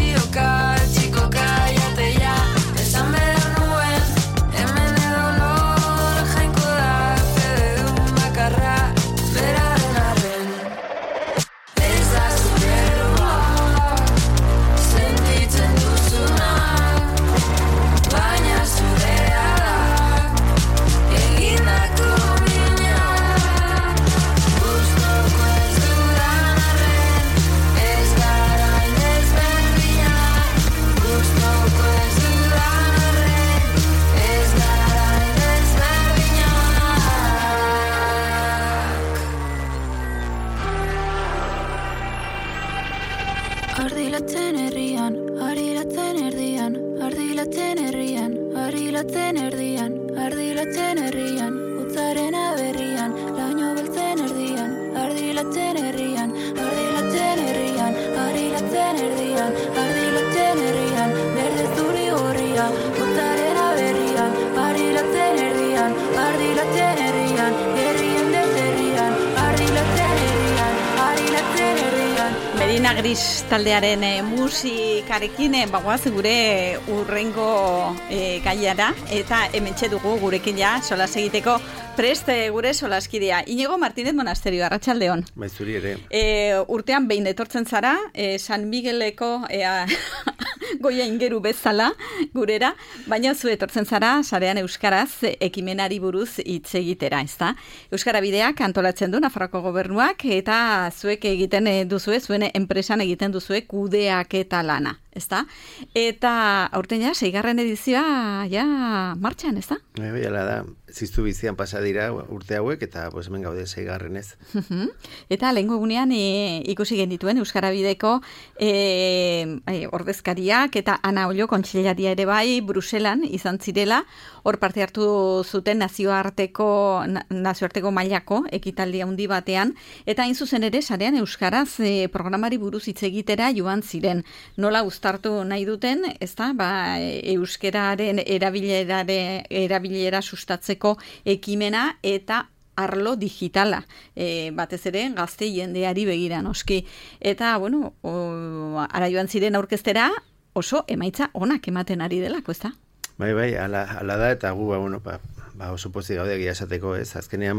txioka, chico, cállate ya. Esan behar nuen, hemen edonor jainko da, fededun bakarra, beraren arren. Ez da zuberua, sentitzen duzuna, baina zurea da, egindako mina. Gustoko ez dudan arren, ez gara indezberdina. Gustoko ez dudan arren, ez gara indezberdinak. Ardilatzen herrian, arilatzen erdian, ardilatzen herrian, arilatzen erdian, ardilatzen herrian, utzaren aberrian, laino beltzen erdian, ardilatzen herrian, ardilatzen herrian, arilatzen erdian, ardilatzen herrian, berde zuri gorria, utzaren aberrian, arilatzen erdian, ardilatzen herrian, herrien deserrian, arilatzen herrian, arilatzen herrian. Medina Gris taldearen musikarekin bagoaz gure urrengo gaiara eta hementxe dugu gurekin ja solas egiteko prest gure solaskidea. Inigo Martínez Monasterio, arratsaldeon. Bai, zuri ere. Urtean behin etortzen zara, San Migueleko goia ingeru bezala gurera, baina zu etortzen zara sarean euskaraz ekimenari buruz hitz egitera, ezta? Euskara Bideak antolatzen du Nafarroako gobernuak eta zuek egiten duzue, zuen enpresan egiten duzue kudeaketa lana, ezta? Eta aurten ja 6. edizioa ja martxan, ezta? Bai, hala da. Ziztu bizian pasa dira urte hauek eta pues hemen gaude 6. Eta lehengo egunean ikusi genituen Euskara Bideko ordezkariak eta Ana Ollo kontseilaria ere bai Bruselan izan zirela, hor parte hartu zuten nazioarteko mailako ekitaldi handi batean, eta hain zuzen ere sarean euskaraz programari buruz hitz egitera joan ziren. Nola uztartu nahi duten, ezta? Euskararen erabilera sustatzeko ekimena eta arlo digitala, batez ere gazte jendeari begira noski. Eta, bueno, ara joan ziren aurkeztera oso emaitza onak ematen ari delako, ezta? Bai, ala da, eta gu, oso pozik gaude egia esateko, ez? Azkenean,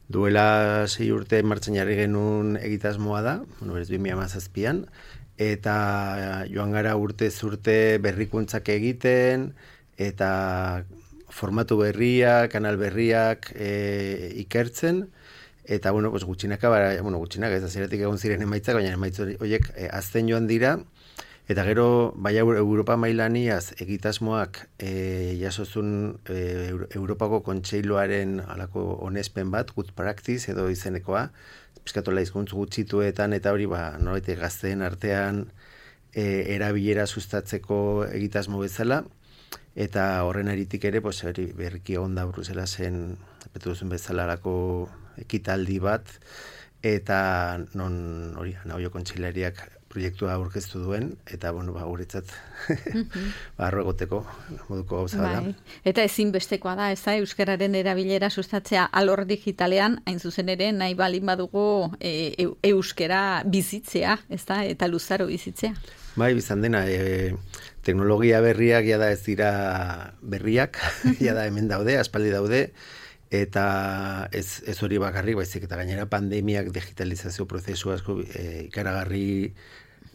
duela 6 urte martxan jarri genuen egitasmoa da, berez 2017an, eta joan gara urtez urte berrikuntzak egiten, eta formatu berriak, kanal berriak ikertzen, eta, gutxinaka, ez da zeratik egon ziren emaitzak, baina emaitz horiek azten joan dira, eta gero, bai Europa mailaniaz egitasmoak jasozun Europako Kontseiluaren alako onespen bat, good practice edo izenekoa, pizkatola hizkuntz gutxituetan, eta hori, norbait gazteen artean erabilera sustatzeko egitasmo bezala, eta horren aritik ere, berriki onda Bruselasen, epetu duzun bezala ekitaldi bat, eta non hori, Ana Ollo kontseilariak proiektua aurkeztu duen, eta, guretzat, arro egoteko moduko gauza da. Eta ezinbestekoa da, ez da, euskararen erabilera sustatzea alor digitalean, hain zuzen ere, nahi balin badugu euskara bizitzea, ez da, eta luzaro bizitzea. Bai, bizan dena, teknologia berriak jada ez dira berriak, jada hemen daude, aspaldi daude, eta ez hori bakarrik, baizik eta gainera pandemiak digitalizazio prozesu asko ikaragarri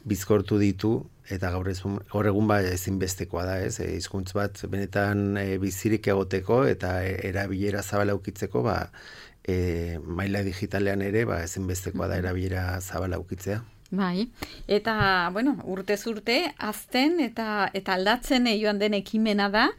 bizkortu ditu, eta gaur egun ezinbestekoa da, ez? Hizkuntz bat benetan bizirik egoteko eta erabilera zabala ukitzeko, maila digitalean ere ezinbestekoa da erabilera zabala ukitzea. Bai, eta, urtez urte, azten eta aldatzen joan den ekimena da,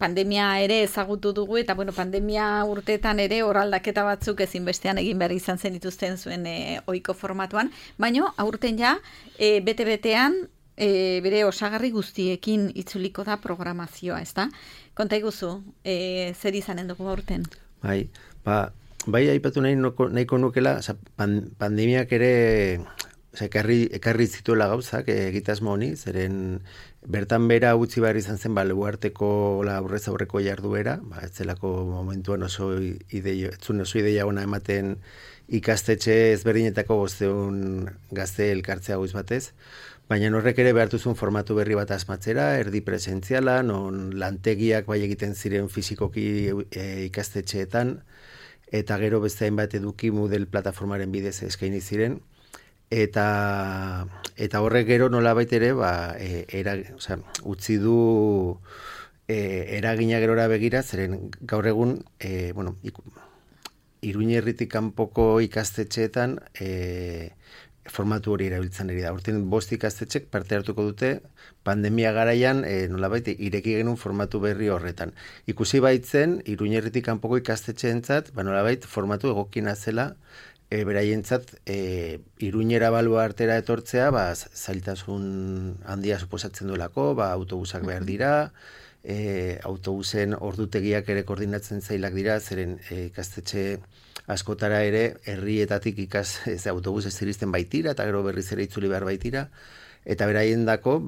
pandemia ere ezagutu dugu, eta, pandemia urteetan ere horaldaketa batzuk ezinbestean egin behar izan zen dituzten zuen ohiko formatuan, baina aurten ja, bete-betean, bere osagarri guztiekin itzuliko da programazioa, ezta? Konta iguzu, zer izanen dugu aurten? Bai, aipatu nahiko nukela, pandemiak ere ekarri zituela gauzak egitasmo honi, zeren bertan bera utzi behar izan zen leguarteko aurrez aurreko jarduera, ez zelako momentuan oso ideia ona ematen ikastetxe ezberdinetako 500 gazte elkartzea goiz batez, baina horrek ere behartuzun formatu berri bat asmatzera, erdi presentziala, non lantegiak bai egiten ziren fizikoki ikastetxeetan, eta gero beste hainbat eduki Moodle plataformaren bidez eskaini ziren, eta horrek gero nolabait ere utzi du eragina gerora begira, zeren gaur egun Iruña herritik kanpoko ikastetxeetan formatu hori erabiltzen ari da. Urten 5 ikastetxek parte hartuko dute pandemia garaian nolabait ireki genuen formatu berri horretan. Ikusi baitzen Iruña herritik kanpoko ikastetxeentzat nolabait formatu egokina zela beraientzat Iruñera baluartera etortzea zailtasun handia suposatzen duelako, autobusak behar dira, autobusen ordutegiak ere koordinatzen zailak dira, zeren ikastetxe askotara ere herrietatik autobus ez iristen baitira, eta gero berriz ere itzuli behar baitira, eta beraien dako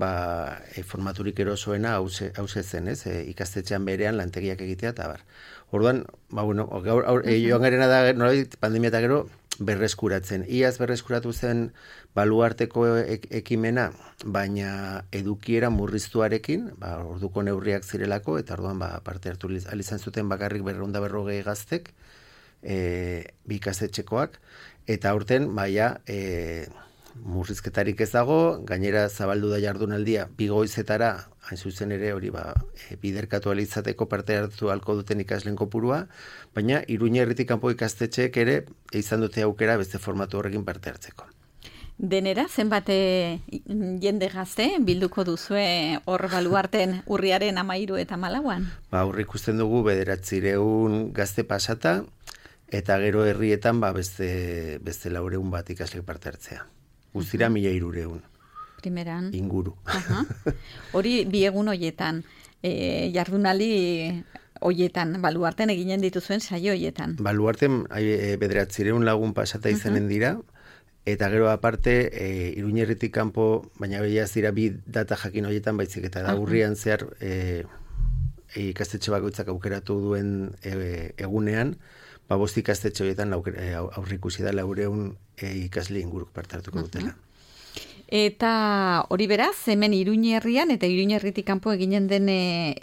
formaturik erosoena hause zen, ikastetxean berean lantegiak egitea, eta bar. Orduan, joan garena da, nolabait pandemia eta gero, berreskuratzen. Iaz berreskuratu zen baluarteko ekimena, baina edukiera murriztuarekin, orduko neurriak zirelako, eta orduan parte hartu izan zuten bakarrik 240 gaztek, bi ikastetxekoak, eta aurten murrizketarik ez dago, gainera zabaldu da jardunaldia 2 goizetara, hain zuzen ere hori biderkatu alizateko parte hartu halko duten ikasleen kopurua, baina Iruña herritik kanpo ikastetxeek ere izan dute aukera beste formatu horrekin parte hartzeko. Denera, zenbat jende gazte bilduko duzue hor baluarten urriaren 13 eta 14an? Hor ikusten dugu 900 gazte pasata, eta gero herrietan beste 400 bat ikasleek parte hartzea. Guztira 1300. Primeran. Inguru. Hori bi egun hoietan, jardunaldi hoietan, baluarten eginen dituzuen saio hoietan. Baluarten 900 lagun pasata izanen dira, eta gero aparte Iruña herritik kanpo, baina behiaz dira bi data jakin hoietan baizik, eta da urrian zehar ikastetxe bakoitzak aukeratu duen egunean, 5 ikastetxe horietan aurrikusi da 400 ikasle inguruk parte hartuko dutela. Eta hori beraz, hemen Iruña herrian eta Iruña herritik kanpo eginen den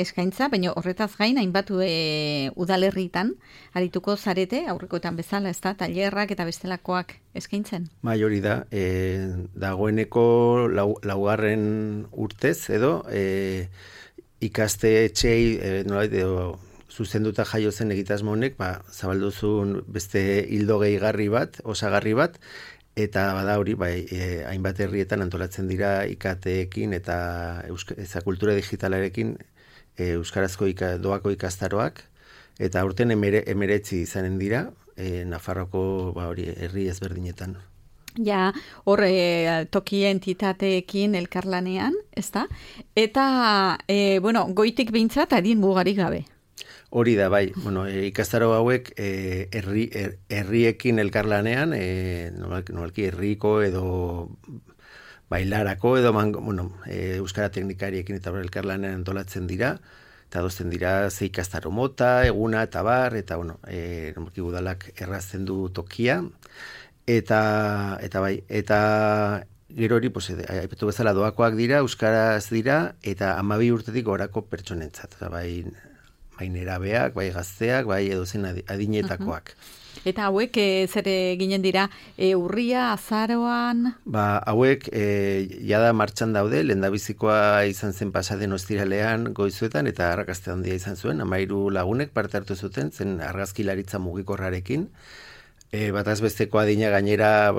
eskaintza, baina horretaz gain hainbat udalerritan arituko zarete, aurrekoetan bezala, ez da, tailerrak eta bestelakoak eskaintzen? Bai, hori da, dagoeneko 4. urtez edo ikastetxei nolabait zuzenduta jaio zen egitasmo honek, zabalduzun beste ildo gehigarri bat, osagarri bat, eta bada hori, hainbat herrietan antolatzen dira IKT-ekin eta kultura digitalarekin euskarazko doako ikastaroak, eta aurten 19 izanen dira, Nafarroko herri ezberdinetan. Ja, hor toki entitateekin elkarlanean, ezta? Eta, goitik behintzat adin mugarik gabe. Hori da, bai, ikastaro hauek herriekin elkarlanean, normalki herriko edo bailarako edo euskara teknikariekin eta elkarlanean antolatzen dira, eta dozten dira ze ikastaro mota, eguna eta bar, eta normalki udalak errazten du tokia, eta gero hori, aipatu bezala doakoak dira, euskaraz dira, eta 12 urtetik gorako pertsonentzat, bai nerabeak, bai gazteak, bai edozen adinetakoak. Eta hauek zer ginen dira, urria, azaroan? Hauek jada martxan daude, lehendabizikoa izan zen pasaden ostiralean goizuetan, eta arrakasta handia izan zuen, 13 lagunek parte hartu zuten, zen argazkilaritza mugikorrarekin, bataz besteko adina gainera,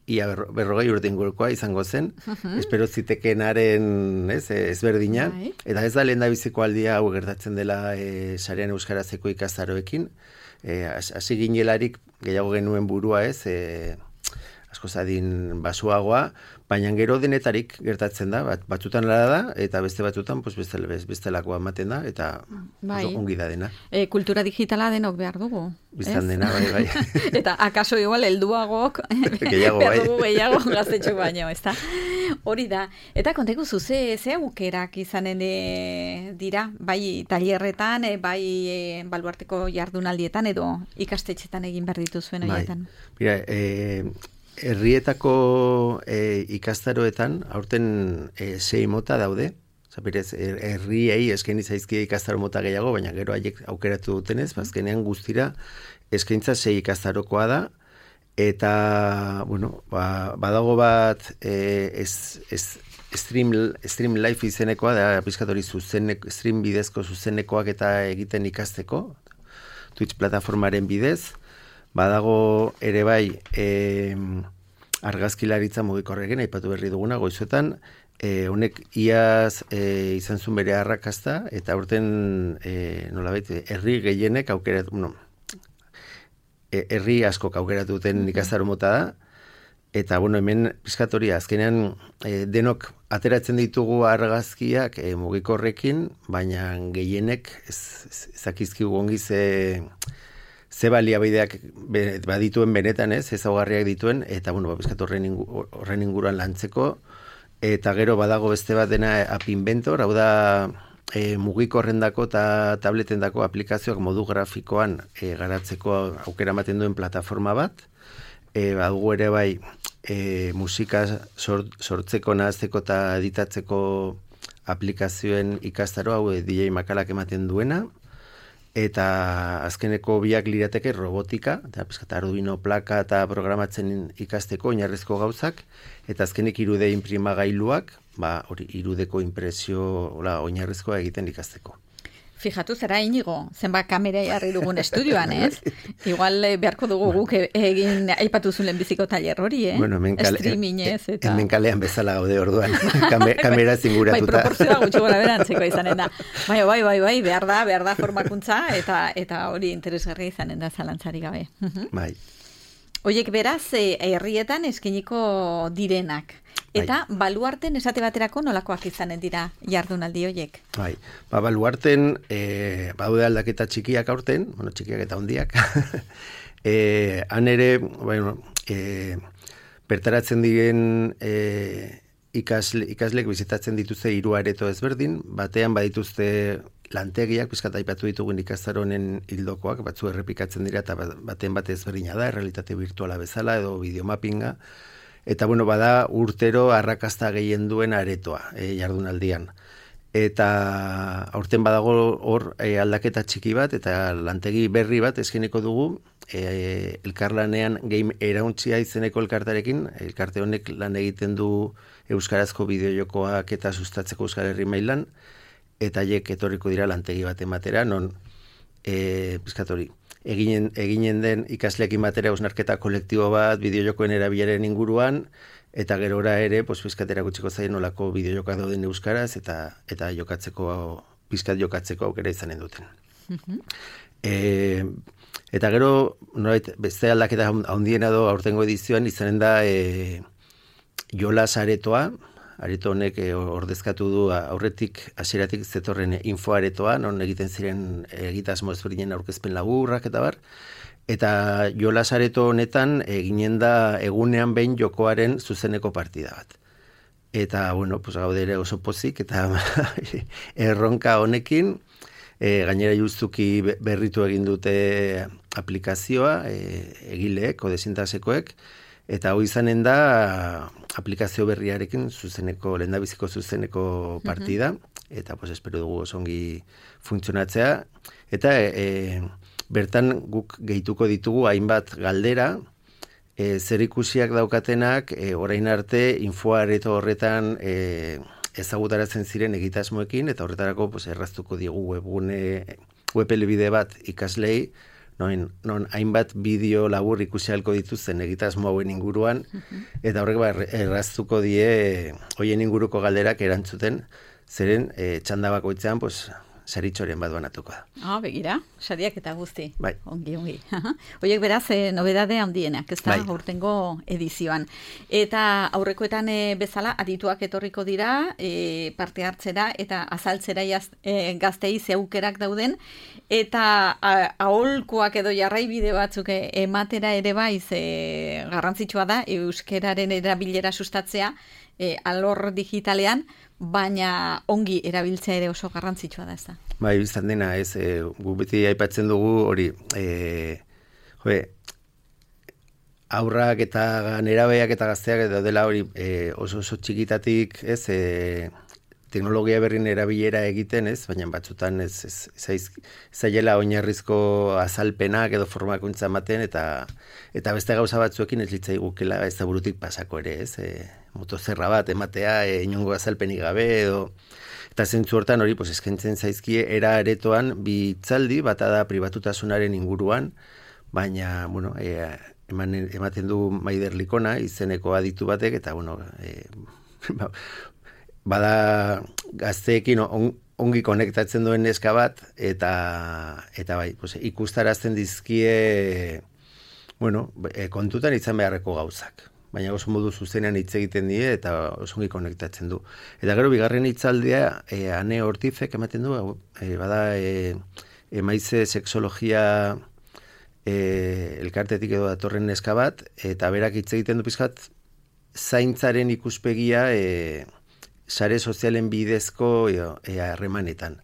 ia 40 urte ingurukoa izango zen, espero zitekenaren ezberdina, eta ez da lehendabiziko aldia hau gertatzen dela sarean euskarazeko ikastaroekin, hasi ginelarik gehiago genuen burua asko zadin basuagoa, baina gero denetarik gertatzen da, batzutan lara da, eta beste batzutan bestelakoa ematen da, eta ongi da dena. Kultura digitala denok behar dugu. Biztan dena, bai. Eta akaso igual helduagok gehiago, behar dugu gehiago gaztetxo baino, ez da? Hori da. Eta kontegu zuze, ze aukerak izanen dira, bai tailerretan, bai baluarteko jardunaldietan edo ikastetxetan egin behar dituzuen horietan. Mira, herrietako ikastaroetan, aurten 6 mota daude, Zapirez, herriei eskaini zaizkie ikastaro mota gehiago, baina gero haiek aukeratu dutenez, azkenean guztira eskaintza 6 ikastarokoa da, eta, bueno, badago bat Stream Life izenekoa, da pizkatori stream bidezko zuzenekoak eta egiten ikasteko, Twitch plataformaren bidez, badago ere bai argazkilaritza mugikorrekin, aipatu berri duguna, goizuetan, honek iaz izan zuen bere arrakasta, eta aurten nolabait, herri gehienek aukeratu, herri askok aukeratu duten ikastaro mota da, eta bueno, hemen pizkatoria, azkenean denok ateratzen ditugu argazkiak mugikorrekin, baina gehienek ezakizkigu ongi ze baliabideak badituen benetan ezaugarriak dituen, eta bueno, pizkat horren inguruan lantzeko, eta gero badago beste bat dena App Inventor, hau da mugikorrendako eta tabletendako aplikazioak modu grafikoan garatzeko aukera ematen duen plataforma bat, badugu ere bai musika sortzeko, nahazteko eta editatzeko aplikazioen ikastaro, hau DJ Makalak ematen duena, eta azkeneko biak lirateke robotika, eta Arduino plaka eta programatzen ikasteko oinarrizko gauzak, eta azkenik 3D inprimagailuak, hori 3Dko impresio oinarrizkoa egiten ikasteko. Fijatu zera Inigo, zenbat kamera jarri dugun estudioan, ez? Igual beharko dugu guk egin aipatu zuen biziko tailer hori, Bueno, streamingez eta... Hemen kalean bezala gaude orduan, kamera zinguratuta. Bai, proportzioa gutxi gora berantzeko izanen da. Bai, behar da formakuntza eta hori interesgarria izanen da zalantzari gabe. Bai. Oiek beraz, herrietan eskeniko direnak. Eta baluarten esate baterako nolakoak izanen dira jardunaldi hoiek? Bai, baluarten baude aldaketa txikiak aurten, txikiak eta hondiak. Han ere, bertaratzen diren ikaslek bizitatzen dituzte 3 areto ezberdin, batean badituzte lantegiak, pizkat aipatu ditugun ikastaronen hildokoak, batzu errepikatzen dira eta baten bat ezberdina da, errealitate virtuala bezala edo videomappinga. Eta bueno, bada urtero arrakasta gehien duen aretoa jardunaldian. Eta aurten badago hor aldaketa txiki bat eta lantegi berri bat eskeniko dugu elkarlanean Game Erauntzia izeneko elkartarekin. Elkarte honek lan egiten du euskarazko bideojokoak eta sustatzeko Euskal Herri mailan, eta haiek etorriko dira lantegi bat ematera, non pizkatori eginen den ikasleekin batera hausnarketa kolektibo bat bideojokoen erabileren inguruan, eta gerora ere pizkat erakutsiko zaien nolako bideojoka dauden euskaraz eta pizkat jokatzeko aukera izanen duten. Eta gero beste aldaketa handiena do aurtengo edizioan izanen da jolas aretoa. Areto honek ordezkatu du aurretik hasieratik zetorren infoaretoa, non egiten ziren egitasmo ezberdinen aurkezpen laburrak eta bar. Eta jolas areto honetan eginen da egunean behin jokoaren zuzeneko partida bat. Eta, bueno, gaude ere oso pozik eta erronka honekin, gainera justuki berritu egin dute aplikazioa, egileek, kodesintasekoek, eta hau izanen da aplikazio berriarekin lehendabiziko zuzeneko partida, eta espero dugu osongi funtzionatzea, eta bertan guk gehituko ditugu hainbat galdera, zerikusiak daukatenak, orain arte infoareto horretan ezagutaratzen ziren egitasmoekin, eta horretarako erraztuko diegu webelbide bat ikaslei, non hainbat bideo labur ikusi ahalko dituzten egitasmo hauen inguruan, eta horrek erraztuko die hoien inguruko galderak erantzuten, zeren txanda bakoitzean saritxoren bat banatuko da. Begira, sariak eta guzti. Bai. Ongi. Hoiek beraz, nobedade handienak, ez da, aurtengo edizioan. Eta aurrekoetan bezala, adituak etorriko dira, parte hartzera eta azaltzera gaztei zeukerak dauden, eta aholkuak edo jarraibide batzuk ematera ere bai, garrantzitsua da, euskeraren erabilera sustatzea, alor digitalean, baina ongi erabiltzea ere oso garrantzitsua da, ez da? Bai, biztan dena, gu beti aipatzen dugu hori, aurrak eta nerabeak eta gazteak daudela hori oso txikitatik, teknologia berrin erabilera egiten, baina batzutan zaiela oinarrizko azalpenak edo formakuntza ematen eta beste gauza batzuekin ez litzaigukela ez da burutik pasako ere, motozerra bat ematea inongo azalpenik gabe edo eta zentzu hortan hori eskaintzen zaizkie era aretoan bi hitzaldi bata da pribatutasunaren inguruan, baina ematen du Maider Likona izeneko aditu batek eta bada gazteekin ongi konektatzen duen neska bat eta bai, ikustarazten dizkie kontutan izan beharreko gauzak. Baina oso modu zuzenean hitz egiten die eta oso ongi konektatzen du. Eta gero bigarren hitzaldia Ane Ortizek ematen du, bada emaize sexologia elkartetik edo datorren neska bat, eta berak hitz egiten du pizkat zaintzaren ikuspegia sare sozialen bidezko harremanetan.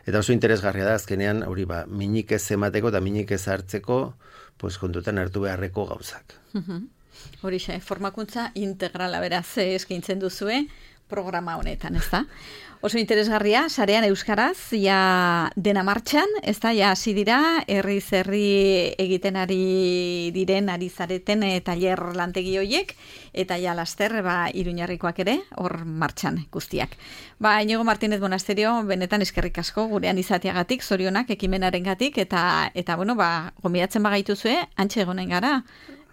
Eta oso interesgarria da azkenean hori minik ez emateko eta minik ez hartzeko kontutan hartu beharreko gauzak. Horixe, formakuntza integrala beraz eskaintzen duzue programa honetan, ez da? Oso interesgarria, sarean euskaraz, ja dena martxan, ez da, ja hasi dira, herri egiten ari zareten tailer lantegi hoiek, eta ja laster, Iruñarrikoak ere, hor martxan guztiak. Inigo Martínez Monasterio, benetan eskerrik asko, gurean izateagatik, zorionak, ekimenarengatik, eta gomidatzen bagaituzue, antxe egonen gara,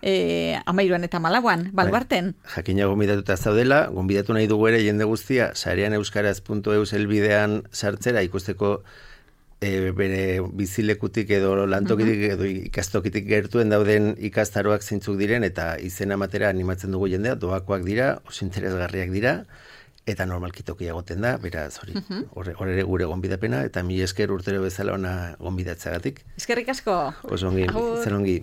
13 eta 14, Baluarten. Jakina gonbidatuta zaudela, gonbidatu nahi dugu ere jende guztia, sareaneuskaraz.eus helbidean sartzera ikusteko bere bizilekutik edo lantokitik edo ikastokitik gertuen dauden ikastaroak zeintzuk diren eta izena ematera animatzen dugu jendea, doakoak dira, oso interesgarriak dira, eta normalki tokia egoten da, beraz hori, hor ere gure gonbidapena, eta mila esker urtero bezala ona gonbidatzeagatik. Eskerrik asko. Oso ongi, zen ongi.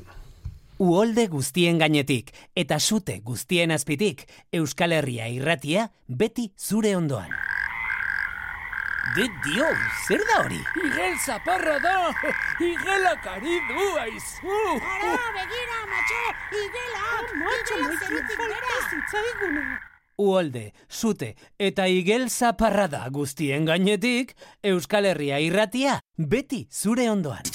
Uholde guztien gainetik eta sute guztien azpitik, Euskal Herria irratia beti zure ondoan. Dio, zer da hori? Igel zaparra da! Igelak ari du, aizu! Ara, begira, matxo! Igela zerutik bera! Uholde, sute eta igel zaparra da guztien gainetik, Euskal Herria irratia beti zure ondoan.